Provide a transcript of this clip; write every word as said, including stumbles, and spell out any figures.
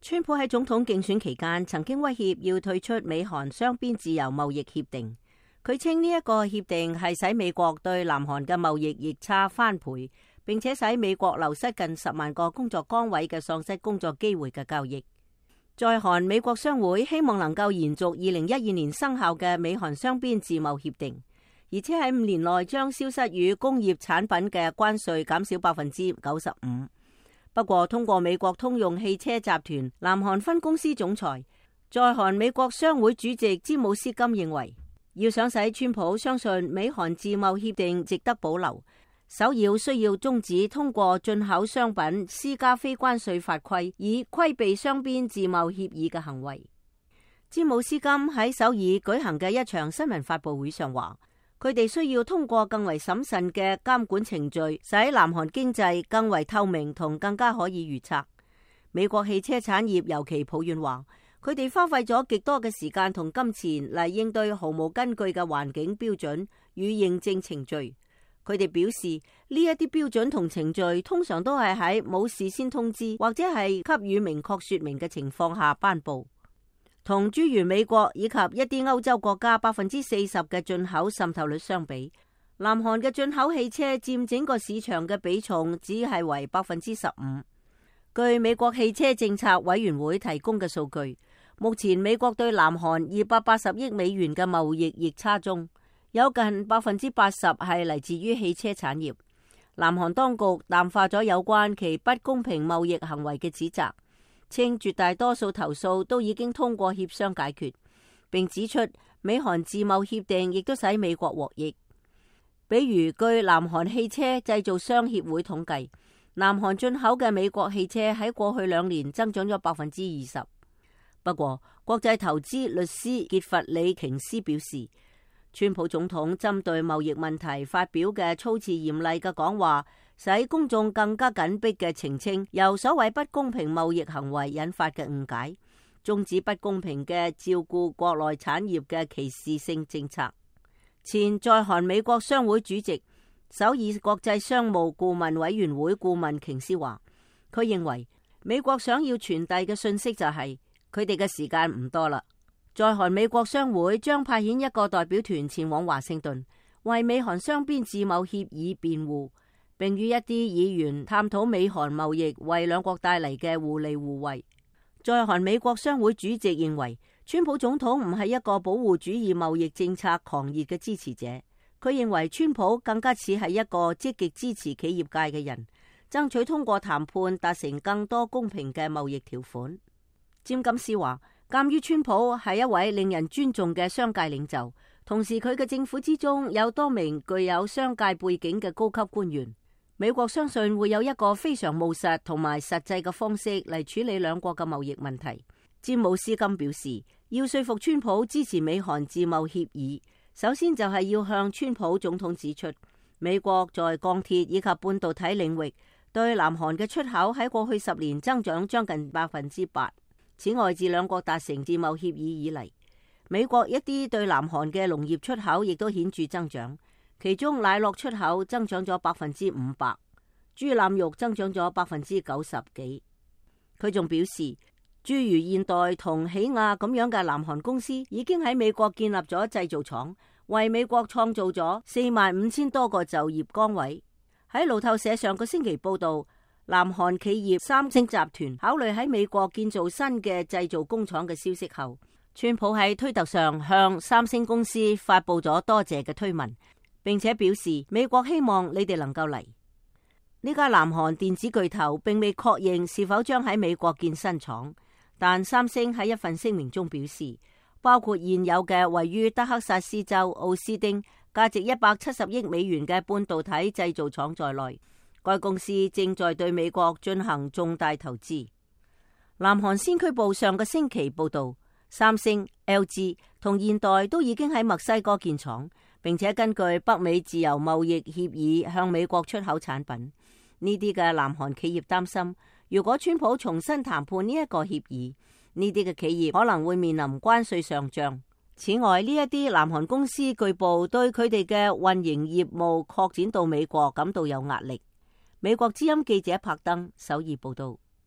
川普喺總統競選期間曾經威脅要退出美韓雙邊自由貿易協定，佢稱呢一個協定係使美國對南韓嘅貿易逆差翻倍，並且使美國流失近十萬個工作崗位嘅喪失工作機會嘅交易。在韓美國商會希望能夠延續二零一二年生效嘅美韓雙邊自貿協定，而且喺五年內將消失與工業產品嘅關稅減少百分之九十五。不過，通過美國通用汽車集團南韓分公司總裁、在韓美國商會主席詹姆斯金認為，要想使川普相信美韓自貿協定值得保留，首要需要終止通過進口商品施加非關稅法規以規避雙邊自貿協議嘅行為。詹姆斯金喺首爾舉行嘅一場新聞發佈會上話，佢哋需要通過更為審慎嘅監管程序，使南韓經濟更為透明同更加可以預測。美國汽車產業尤其抱怨話，佢哋花費咗極多嘅時間同金錢嚟應對毫無根據嘅環境標準與認證程序。佢哋表示，呢一啲標準同程序通常都係喺冇事先通知或者係給予明確說明嘅情況下頒布。同諸如美國以及一啲歐洲國家百分之四十嘅進口滲透率相比，南韓嘅進口汽車佔整個市場嘅比重只係為百分之十五。據美國汽車政策委員會提供嘅數據，目前美國對南韓二百八十億美元嘅貿易逆差中，有近百分之八十係嚟自於汽車產業。南韓當局淡化咗有關其不公平貿易行為嘅指責，稱絕大多數投訴都已經通過協商解決，並指出美韓自貿協定亦都使美國獲益。比如據南韓汽車製造商協會統計，南韓進口嘅美國汽車喺過去兩年增長咗百分之二十。不過，國際投資律師傑弗里瓊斯表示，川普總統針對貿易問題發表嘅措辭嚴厲嘅講話，使公眾更加緊迫嘅澄清由所謂不公平貿易行為引發嘅誤解，終止不公平嘅照顧國內產業嘅歧視性政策。前在韓美國商會主席、首爾國際商務顧問委員會顧問瓊斯話，佢認為美國想要傳遞嘅信息就係佢哋嘅時間唔多啦。在韓美國商會將派遣一個代表團前往華盛頓，為美韓雙邊自貿協議辯護，並與一啲議員探討美韓貿易為兩國帶嚟嘅互利互惠。在韓美國商會主席認為，川普總統唔係一個保護主義貿易政策狂熱嘅支持者，佢認為川普更加似係一個積極支持企業界嘅人，爭取通過談判達成更多公平嘅貿易條款。詹金斯話，鑒於川普係一位令人尊重嘅商界領袖，同時佢嘅政府之中有多名具有商界背景嘅高級官員，美國相信會有一個非常務實同埋實際嘅方式嚟處理兩國嘅貿易問題。詹姆斯金表示，要說服川普支持美韓自貿協議，首先就係要向川普總統指出，美國在鋼鐵以及半導體領域對南韓嘅出口喺過去十年增長將近百分之八。此外，自兩國達成自貿協議以嚟，美國一啲對南韓嘅農業出口亦都顯著增長，其中奶酪出口增長咗百分之五百，豬腩肉增長咗百分之九十幾。佢仲表示，諸如現代同起亞咁樣嘅南韓公司已經喺美國建立咗製造廠，為美國創造咗四萬五千多個就業崗位。喺路透社上個星期報道，南韓企業三星集團考慮喺美國建造新嘅製造工廠嘅消息後，川普喺推特上向三星公司發佈咗多謝嘅推文，並且表示美國希望你哋能夠嚟。呢家南韓電子巨頭並未確認是否將喺美國建新廠，但三星喺一份聲明中表示，包括現有嘅位於德克薩斯州奧斯丁價值一百七十億美元嘅半導體製造廠在內，該公司正在對美國進行重大投資。南韓先驅報上個星期報道，三星、L G 同現代都已經喺墨西哥建廠，並且根據北美自由貿易協議向美國出口產品。呢啲嘅南韓企業擔心，如果川普重新談判呢一個協議，呢啲嘅企業可能會面臨關稅上漲。此外，呢一啲南韓公司據報對佢哋嘅運營業務擴展到美國感到有壓力。美國之音記者柏登首爾報道。